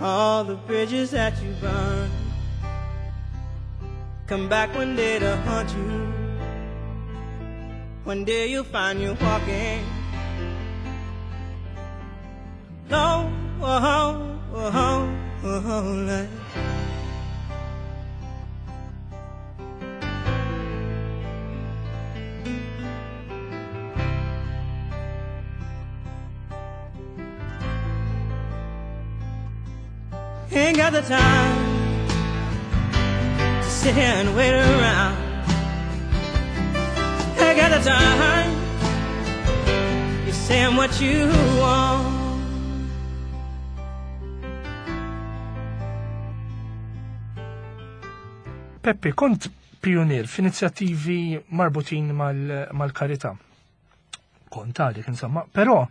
All the bridges that you burned come back one day to haunt you. One day you'll find you walking alone, oh, oh, oh, Ain't got the time to sit here and wait around. Ain't got the time. You're saying what you want. Peppi, kont pionier f'inizjattivi marbutin mal-karità. Kont għalik, insomma, però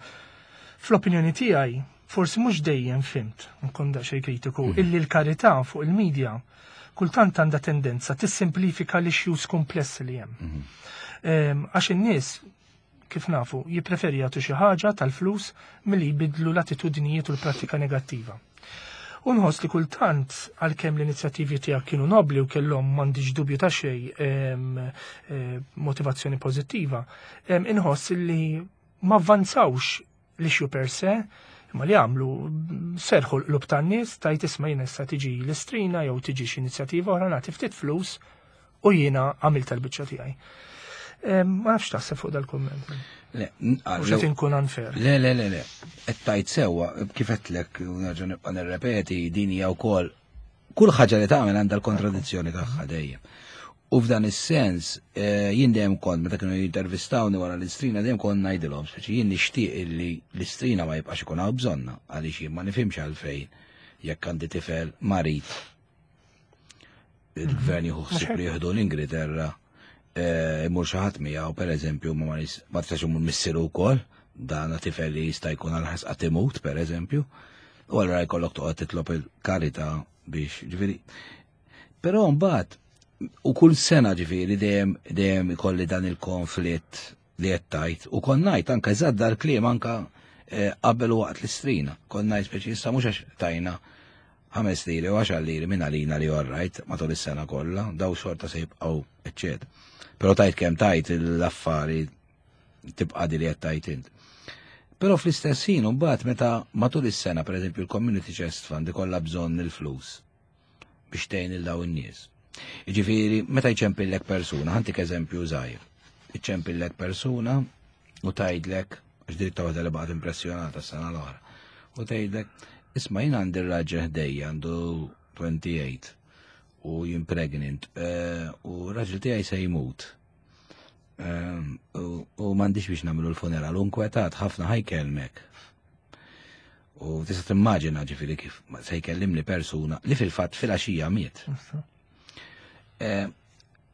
fl-opinjoni tiegħi forsi mhux dejjem fimt, nkun daqsxejn kritiku, illi l-karità fuq il-medja kultant għandha tendenza tissimplifika l-issues komplessi li hemm. Għax in-nies, kif nafu, jippreferi jagħtu xi ħaġa tal-flus milli jbidlu l-attitudnijiet u l-prattika negattiva. U nħoss li kultant għalkemm l-inizjattivi tiegħek kienu nobli u kellhom m'għandix dubju ta' xejn motivazzjoni pożittiva, inħoss li ma avvanzawx l-issue per se, imma li għamlu serħu l-qlub tan-nies tajt isma' jiena issa tiġi l-istrina jew tiġi xi inizjattiva oħra nagħti ftit flus u jiena għamilt tal-biċċa tiegħi. Ma nafx taħseb fuq dal-kumment. Le, Mhux qed inkun unfair. Le, le, le, le. Qed tajt sewwa kif qedtlek u nerġa' nibqa' nirrepeti din hija wkoll kull ħaġa li tagħmel għandha l-kontradizzjoni tagħha dejjem. U f'dan is-sens jien dejjem kont meta kienu jintervistawni wara l-istrina dejjem kont ngħidilhom speċi jien nixtieq illi l-istrina ma jibqax ikun hawn bżonna għaliex jien ma nifhimx għalfejn jekk għandi tifel marid il-gvern jieħu ħsieb li jieħdu l-Ingilterra imur xi ħadd miegħu pereżempju ma ma tistax imur missieru wkoll dan tifel li jista' jkun għal ħasqa imut pereżempju u allura jkollok toqgħod titlob il-karità biex ġifieri. Però mbagħad u kull sena ġifieri dejjem dejjem ikolli dan il-konflitt li qed tajt u kont ngħid anke eżatt dal-kliem anke qabel u waqt l-istrina. Kont ngħid speċi issa mhux għax tajna ħames liri u għaxar liri minn għalina li orrajt matul is-sena kollha, daw xorta se jibqgħu eċċetera. Però tajt kemm tajt l-affari tibqa' di li qed tajt int. Però fl-istess ħin mbagħad meta matul is-sena pereżempju l-Community Chest Fund ikollha bżonn il-flus biex tgħin il dawn in-nies. Jiġifieri meta jċempillek persuna, ħantik eżempju żgħir. Iċempillek persuna u tgħidlek, għax dritta waħda li baqgħet impressjonata s-sena l-oħra, u tgħidlek, isma' jien għandi r-raġel ħdejja għandu twenty-eight u jien pregnant u r-raġel tiegħi se jmut. U m'għandix biex nagħmlu l-funeral u nkwetat ħafna ħajkelmek. U tista' timmaġina ġifieri kif se jkellimni persuna li fil-fatt fil-għaxija miet.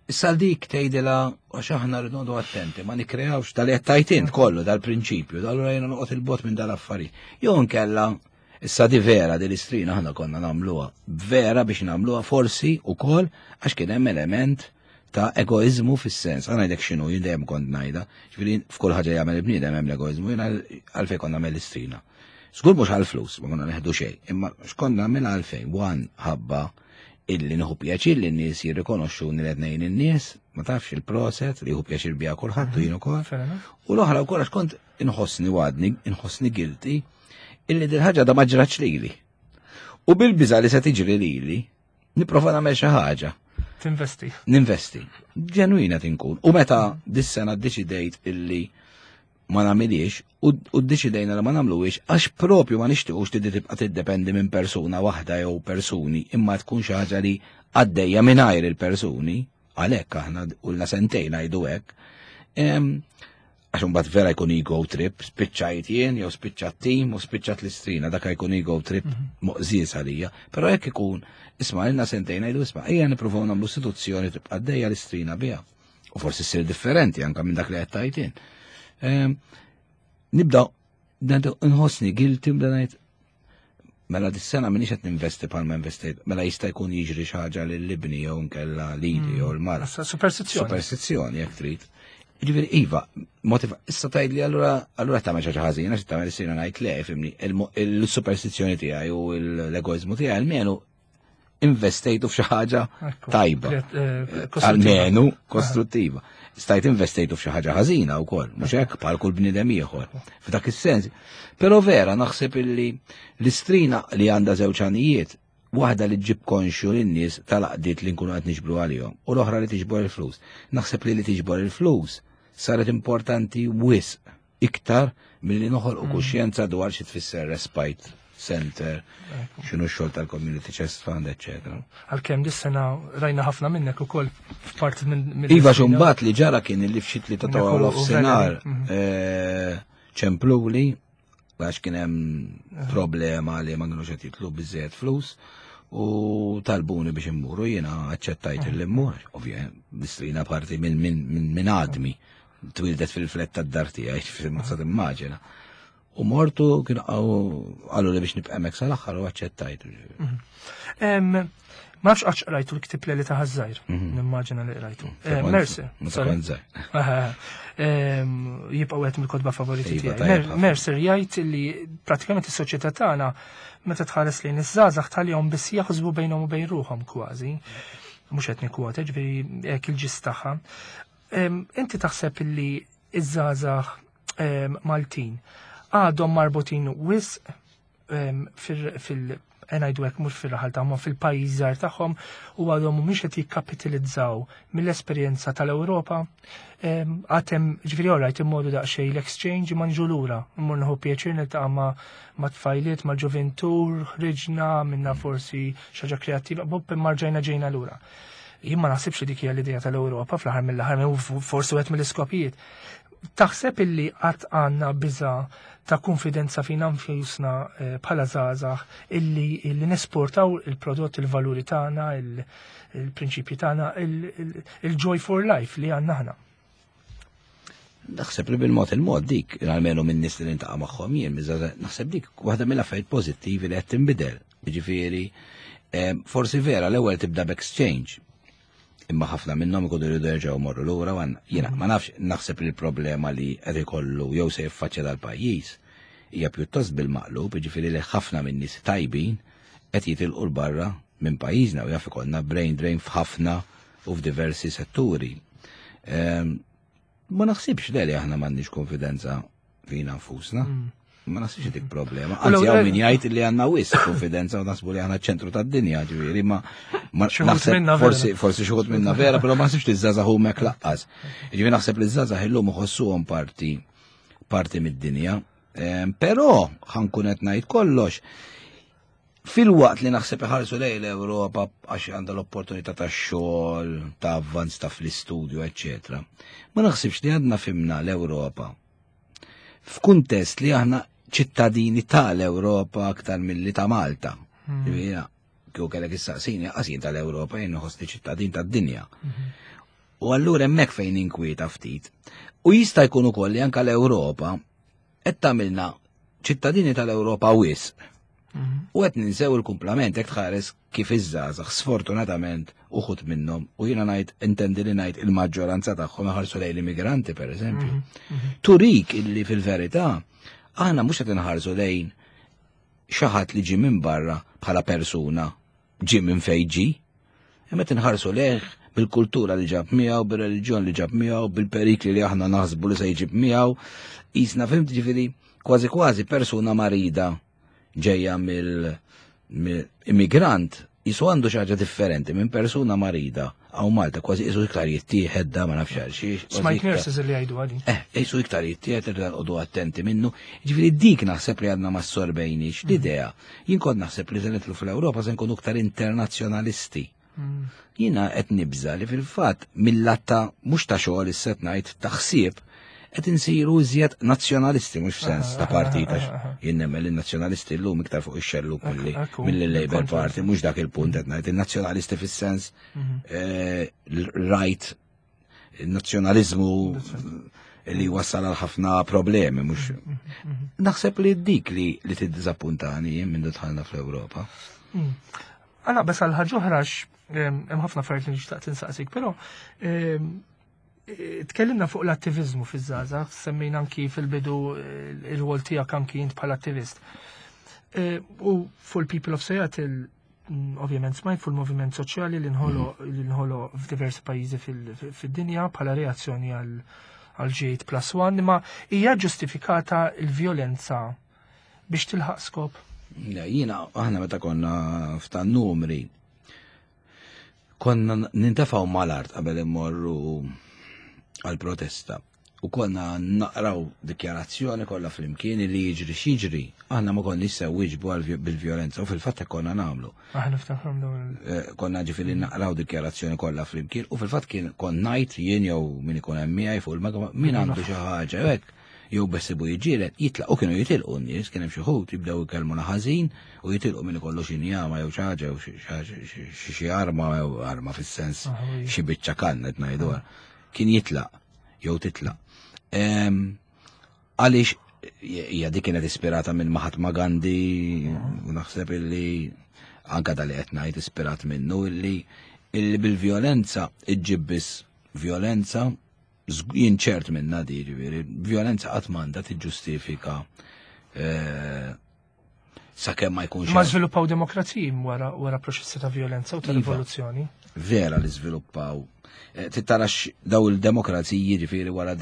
Issa dik tgħidilha għax aħna rridu noqogħdu attenti, ma nikkreawx tal qed tajt int kollu dal-prinċipju, allura jiena noqgħod il-bot minn dal-affarijiet. Jew nkella issa di vera di l-istrina aħna konna nagħmluha, vera biex nagħmluha forsi wkoll għax kien hemm element ta' egoizmu fis-sens. Għana ngħidlek x'inhu, jien dejjem kont ngħidha, ġifieri f'kull ħaġa jagħmel il-bniedem hemm l-egoizmu, jien għalfejn konna nagħmel l-istrina. Żgur mhux għall-flus, ma konna neħdu xejn, imma x'konna nagħmel għalfejn, wan ħabba illi nieħu pjaċir li n-nies jirrikonoxxuni li qed ngħin in-nies, ma tafx il-proset li jieħu pjaċir biha kulħadd u jien ukoll. U l-oħra wkoll għax kont inħossni wadni, inħossni guilty illi din ħaġa da ma ġratx lili. U bil-biża li se tiġri lili, nipprova nagħmel xi ħaġa. Tinvesti. Ninvesti. Ġenwina tinkun. U meta dis-sena ddeċidejt illi ma nagħmilix u ddeċidejna li ma nagħmluhiex għax propju ma nixtiequx li tibqa' tiddependi minn persuna waħda jew persuni, imma tkun xi ħaġa li għaddejja mingħajr il-persuni, għalhekk aħna ulna sentejn ngħidu hekk. Għax imbagħad vera jkun ego trip, spiċċajt jien jew spiċċat tim u spiċċat l-Istrina, dak jkun ego trip mhm. moqżies għalija. Però jekk ikun, isma' ilna sentejn ngħidu isma' ejja nippruvaw nagħmlu istituzzjoni tibqa' għaddejja l-Istrina biha. U forsi ssir differenti anke minn dak li qed tajtin. Ehm, nibda nħossni guilty bda ngħid mela dis-sena minix qed ninvesti bħalma investejt, mela jista' jkun jiġri xi ħaġa lil ibni jew nkella lili jew l-mara. Superstizzjoni. Superstizzjoni jekk trid. Ġifieri iva, motiva, issa tgħidli allura allura tagħmel xi ħaġa ħażina, xi tagħmel issir ngħid le, fimni, il-superstizzjoni tiegħi u l-egoiżmu tiegħi almenu investejtu f'xi ħaġa tajba. Eh, almenu kostruttiva. Stajt investejtu f'xi ħaġa ħażina wkoll, mhux hekk bħal kull bniedem ieħor. F'dak is-sens. Però vera naħseb illi l-Istrina li għandha żewġ għanijiet, waħda li ġib konxju lin-nies tal-għaqdiet li nkunu qed niġbru għalihom u l-oħra li tiġbor il-flus. Naħseb li li tiġbor il-flus saret importanti wisq iktar milli noħolqu mm. kuxjenza dwar xi tfisser respite center, x'inhu x-xogħol tal-Community Chest Fund, eċċetera. Għalkemm dis-sena rajna ħafna minnek ukoll f'parti minn. Iva xumbat li ġara kien li f'xi tlieta ta' nofsinhar mhm. eh, ċempluli għax kien hemm problema li ma kinux qed jitlu biżejjed flus u talbuni biex immuru jiena aċċettajt li mmur, ovvja, l-Istrina parti minn minn għadmi twildet fil-flat tad-dar tiegħi, ma sa timmaġina. U mortu kien qalu li biex nibqa' hemmhekk sal-aħħar u aċċettajt. Mhm. Ma nafx għax qrajtu l-ktib li ta' ħażajr, mhm. nimmaġina li qrajtu. Eh, Mercer. Jibqa' wieħed mill-kotba favoriti iva, tiegħi. Mercer jgħid li pratikament is-soċjetà tagħna meta tħares lejn iż-żgħażagħ tħallihom biss jaħsbu bejnhom u bejn ruħhom kważi. Mhux qed nikkwota, ġifieri hekk il-ġis tagħha. Inti taħseb li iż-żgħażagħ Maltin għadhom marbutin wisq fil ngħidu hekk mhux fir-raħal tagħhom fil-pajjiż żgħar tagħhom u għadhom mhumiex qed jikkapitalizzaw mill-esperjenza tal-Ewropa. Għatem ġifieri alright immorru daqsxejn l-exchange ma nġu lura, immur nieħu pjaċir niltaqa' ma' tfajliet, ma' ġuventur, ħriġna minna forsi xi ħaġa kreattiva, bob imma rġajna ġejna lura. Jien ma naħsibx li dik hija l-idea tal-Ewropa fl-aħħar mill-aħħar forsi wieħed mill-iskopijiet. Taħseb illi qatt għandna biża ta' konfidenza fina nfusna eh, bħala żgħażagħ illi illi nesportaw il-prodott, il-valuri tagħna, il-prinċipji tagħna, il-joy for life li għandna aħna. Naħseb li bil-mod il-mod dik, almenu minn nies li niltaqa' magħhom jien, naħseb dik waħda mill-affarijiet pożittivi li qed tinbidel. Jiġifieri, eh, forsi vera l-ewwel tibda b'exchange. Imma ħafna minnhom ikunu jridu jerġgħu morru lura għan jiena ma nafx naħseb li l-problema li qed ikollu jew se jiffaċċja dal-pajjiż hija pjuttost bil-maqlub, jiġifieri li ħafna minn nies tajbin qed jitilqu 'l barra minn pajjiżna u jaf ikollna brain drain f'ħafna u f'diversi setturi. Ehm, Ma naħsibx le li aħna m'għandniex konfidenza fina nfusna. Ma naħsibx dik problema. Anzi, hawn min jgħid li għandna wisq konfidenza u naħsbu li aħna ċentru tad-dinja, ġifieri, ma ma Xi wħud naħseb minna vera. forsi forsi xi wħud minna vera, però ma naħsibx li ż-żgħażagħ huma laqqas. Ġifieri naħseb li ż-żgħażagħ illum iħossuhom parti parti mid-dinja. Ehm, Però ħa nkun qed ngħid kollox. Fil-waqt li naħseb iħarsu lejn l-Ewropa għax għandha l-opportunità ta' xogħol, ta' avvanz ta' fl-istudju, eċċetera. Ma naħsibx li għadna fhimna l-Ewropa. F'kuntest li aħna ċittadini tal-Ewropa aktar milli ta' Malta. Ġifieri, kieku kellek issaqsini, qas jien tal-Ewropa jien nħossni ċittadin tad-dinja. U allura hemmhekk fejn inkwieta ftit. U jista' jkun ukoll li anke l-Ewropa qed tagħmilna ċittadini tal-Ewropa wisq. U qed ninsew il-kumplament jekk tħares kif iż-żgħażagħ sfortunatament uħud minnhom u jiena ngħid intendi li ngħid il-maġġoranza tagħhom iħarsu lejn l-immigranti pereżempju. Turik illi fil-verità aħna mhux qed inħarsu lejn xi ħadd li ġie minn barra bħala persuna ġie minn fejn ġie, imma qed inħarsu lejh bil-kultura li ġab miegħu, bil-reliġjon li ġab miegħu, bil-perikli li aħna naħsbu li se jġib miegħu. Jisna fhimt ġifieri kważi kważi persuna marida ġejja mill-immigrant jisu għandu xi ħaġa differenti minn persuna marida hawn Malta kważi jisu iktar jittieħed da ma nafx għal xiex. kważi Smajt iktar- nurses li jgħidu għadi. Eh, jisu iktar jittieħed irridu noqogħdu attenti minnu. Ġifieri dik naħseb li għadna ma sorbejniex l-idea. Jien kont naħseb li se nidħlu fl-Ewropa se nkunu iktar internazzjonalisti. Jiena qed nibża li fil-fatt mill-lat ta' mhux ta' xogħol is-set ngħid ta' ħsieb Qed insiru iżjed nazzjonalisti mhux f'sens ta' partit għax jien nemmen li n-nazzjonalisti llum iktar fuq ix-xellug milli mill-Labour Party, mhux dak il-punt qed ngħid, in-nazzjonalisti fis-sens right, nazzjonaliżmu li wassal għal ħafna problemi, mhux. Naħseb li dik li li tiddiżappuntani jien minn dħalna fl-Ewropa. Għala, bes għal ħaġa oħra hemm ħafna affarijiet li nixtaq tinsaqsik, però tkellimna fuq l-attiviżmu fiż-żgħażagħ, semmejna anki fil-bidu ir-rwol tiegħek anki int bħala attivist. U fuq il-People of Seattle, ovvjament smajt fuq il-moviment soċjali li nħolo f'diversi pajjiżi fid-dinja bħala reazzjoni għal G eight plus one, imma hija ġustifikata l-vjolenza biex tilħaq skop? Jiena aħna meta konna f'tan numri konna nintefgħu mal-art qabel immorru għal-protesta u konna naqraw dikjarazzjoni kollha flimkien li jiġri x'jiġri, aħna ma konniex se wieġbu bil-vjolenza u fil-fatt hekk konna nagħmlu. Aħna niftakru dawn il- Konna ġifieri naqraw dikjarazzjoni kollha flimkien u fil-fatt kien kont ngħid jien jew min ikun hemm miegħi fuq il-magma min għandu xi ħaġa hekk jew besibu jiġġieled jitlaq u kienu jitilqu n-nies, kien hemm xi ħut jibdew ikellmuna ħażin u jitilqu min ikollu xi njama jew xi ħaġa jew xi xi arma jew arma fis-sens xi biċċa kanna qed ngħidu kien jitlaq jew titlaq. Għaliex hija dik kienet ispirata minn Mahatma Gandhi u naħseb illi anka dali qed ngħid ispirat minnu illi illi bil-vjolenza iġġib biss vjolenza, jien ċert minna di, ġifieri, vjolenza qatt m'għandha tiġġustifika sakemm ma jkunx Ma żviluppaw demokraziji wara wara proċessi ta' vjolenza u ta' rivoluzzjoni. Vera li żviluppaw. Tittarax daw il-demokraziji ġifieri wara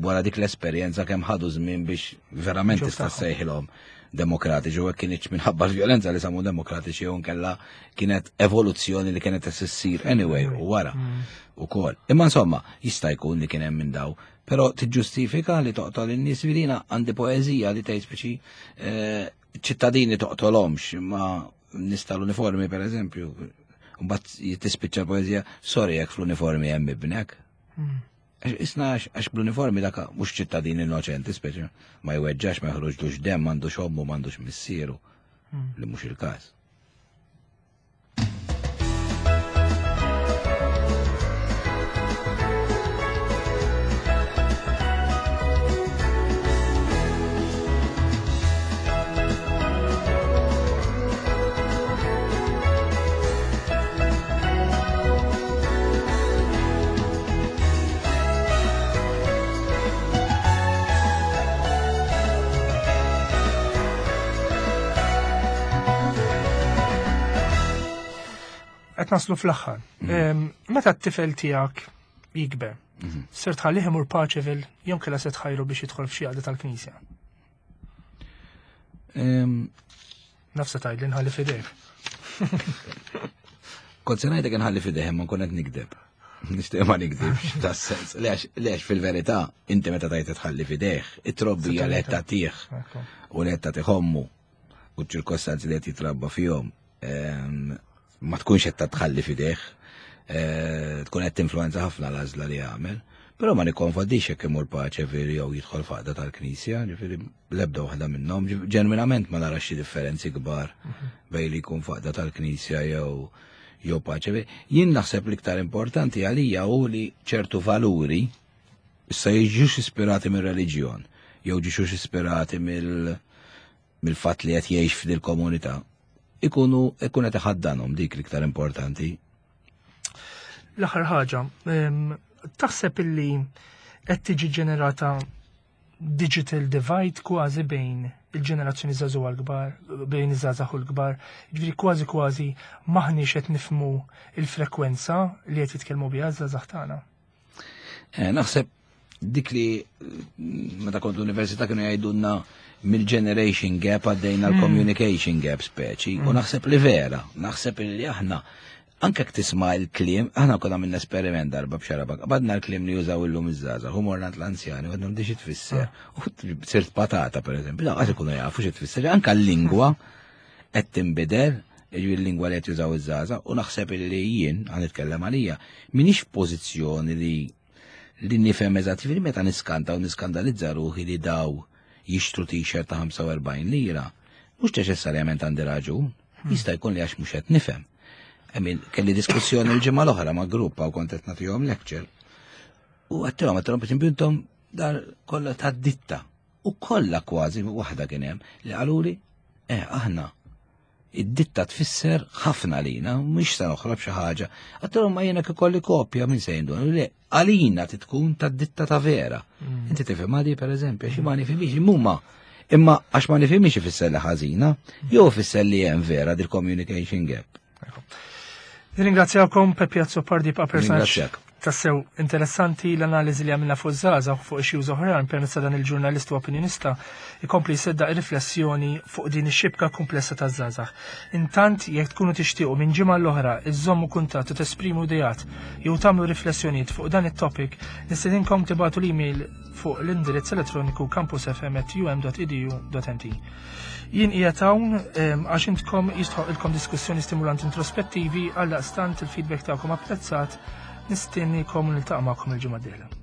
wara dik l-esperjenza kemm ħadu żmien biex verament tista' ssejħilhom demokratiċi u hekk kienx minħabba l-vjolenza li samu demokratiċi jew nkella kienet evoluzzjoni li kienet issir anyway u wara ukoll. Imma insomma jista' jkun li kien hemm minn daw, però tiġġustifika li toqtol in-nies. Virina għandi poeżija li tgħid speċi ċittadini toqtolhomx imma nies tal-uniformi pereżempju. Mbagħad tispiċċa poeżija, sorry jekk fl-uniformi hemm ibnek. Isna għax bl-uniformi dak mhux ċittadin innoċenti, speċi ma jweġġax, ma jħroġlux demm, m'għandux ommu, m'għandux missieru, li mhux il-każ. Qed naslu fl-aħħar. Meta t-tifel tiegħek jikber, ser tħallih imur Paċeville jew kellha se tħajru biex jidħol f'xi għaqda tal-Knisja? Nafsa tgħidli nħalli f'idejh. Kont se ngħidlek nħalli f'idejh imma nkun qed nikdeb. Nixtieq ma nikdibx tas-sens. Lex fil-verità inti meta tgħid tħalli f'idejh, it-trobbija li qed tagħtih u li qed tagħtih ommu u ċ-ċirkostanzi li qed jitrabba fihom ma tkunx qed tħalli f'idejh, tkun qed tinfluwenza ħafna l-għażla li jagħmel. Però ma nikkonfondix jekk imur Paċeville jew jidħol f'għaqda tal-Knisja, ġifieri l-ebda waħda minnhom, ġenwinament ma narax xi differenzi kbar bejn li jkun f'għaqda tal-Knisja jew jew Paċeville. Jien naħseb l-iktar importanti għalija hu li ċertu valuri issa jiġux ispirati mir-reliġjon jew ġiexux ispirati mill-fatt li qed jgħix f'dil komunità. Ikunu ikun qed iħaddanhom dik l-iktar importanti. L-aħħar ħaġa, taħseb illi qed tiġi ġenerata digital divide kważi bejn il-ġenerazzjoni żagħżugħa l-kbar, bejn iż-żgħażagħ u l-kbar, jiġifieri kważi kważi maħniex qed nifhmu il-frekwenza li qed jitkellmu biha ż-żgħażagħ tagħna. Naħseb dik li meta kont l-università kienu jgħidulna mill-generation gap għaddejna l-communication gap speċi, u naħseb li vera, naħseb li aħna anke jekk tisma' l-kliem, aħna konna minna esperiment darba b'xarabak, qabadna l-kliem li jużaw illum iż-żgħażagħ, u morna l-anzjani, u għadna xi tfisser, u sirt patata pereżempju, da qatt ikunu jafu xi tfisser, anke l-lingwa qed tinbidel, jiġifieri l-lingwa li qed jużaw iż-żgħażagħ, u naħseb li jien, għan nitkellem għalija, m'iniex f'pożizzjoni li Li nifhem eżatt, ġifieri meta niskanta u niskandalizza ruħi li daw jixtru t-shirt ta' ħamsa u erbgħin lira, mhux neċessarjament għandi raġun, jista' jkun li għax mhux qed nifhem. I mean, kelli diskussjoni l-ġimgħa l-oħra ma' grupp u kont qed nagħtihom lecture. U għedtilhom, għedtilhom, per esempio, intom dar kollha ta' ditta. U kollha kważi, waħda kien hemm li qaluli, eh, aħna id-ditta tfisser ħafna lina, mhux se noħrob xi ħaġa. Għedtilhom, ma jiena ikolli kopja minn se jindun. Le, għalina tkun ta' ditta ta' vera. Inti tifhem għadi, per eżempju, għax ma nifhimix imma imma għax ma nifhimix ifisser li ħażina, jew ifisser li hemm vera dil-communication gap. Nirringrazzjakom. Peppi Azzopardi pa' personaġġ Ringrazzjak. tassew interessanti. L-analiżi li għamilna fuq żgħażagħ fuq issues oħrajn permezz ta' dan il-ġurnalist u opinjonista ikompli jsedda riflessjoni fuq din ix-xibka komplessa ta' żgħażagħ. Intant, jekk tkunu tixtiequ minn ġimgħa l-oħra iżommu kuntatt u tesprimu ideat jew tagħmlu riflessjonijiet fuq dan it-topic, nistedinkom tibagħtu l-email fuq l-indirizz elettroniku campusfm at u m dot e d u dot m t. Jien qiegħed hawn em, għax intkom jistħoq diskussjoni stimulanti introspettivi. Għaldaqstant il-feedback tagħkom apprezzat. Nistennikom u niltaqa' magħkom il-ġimgħa d-dieħla.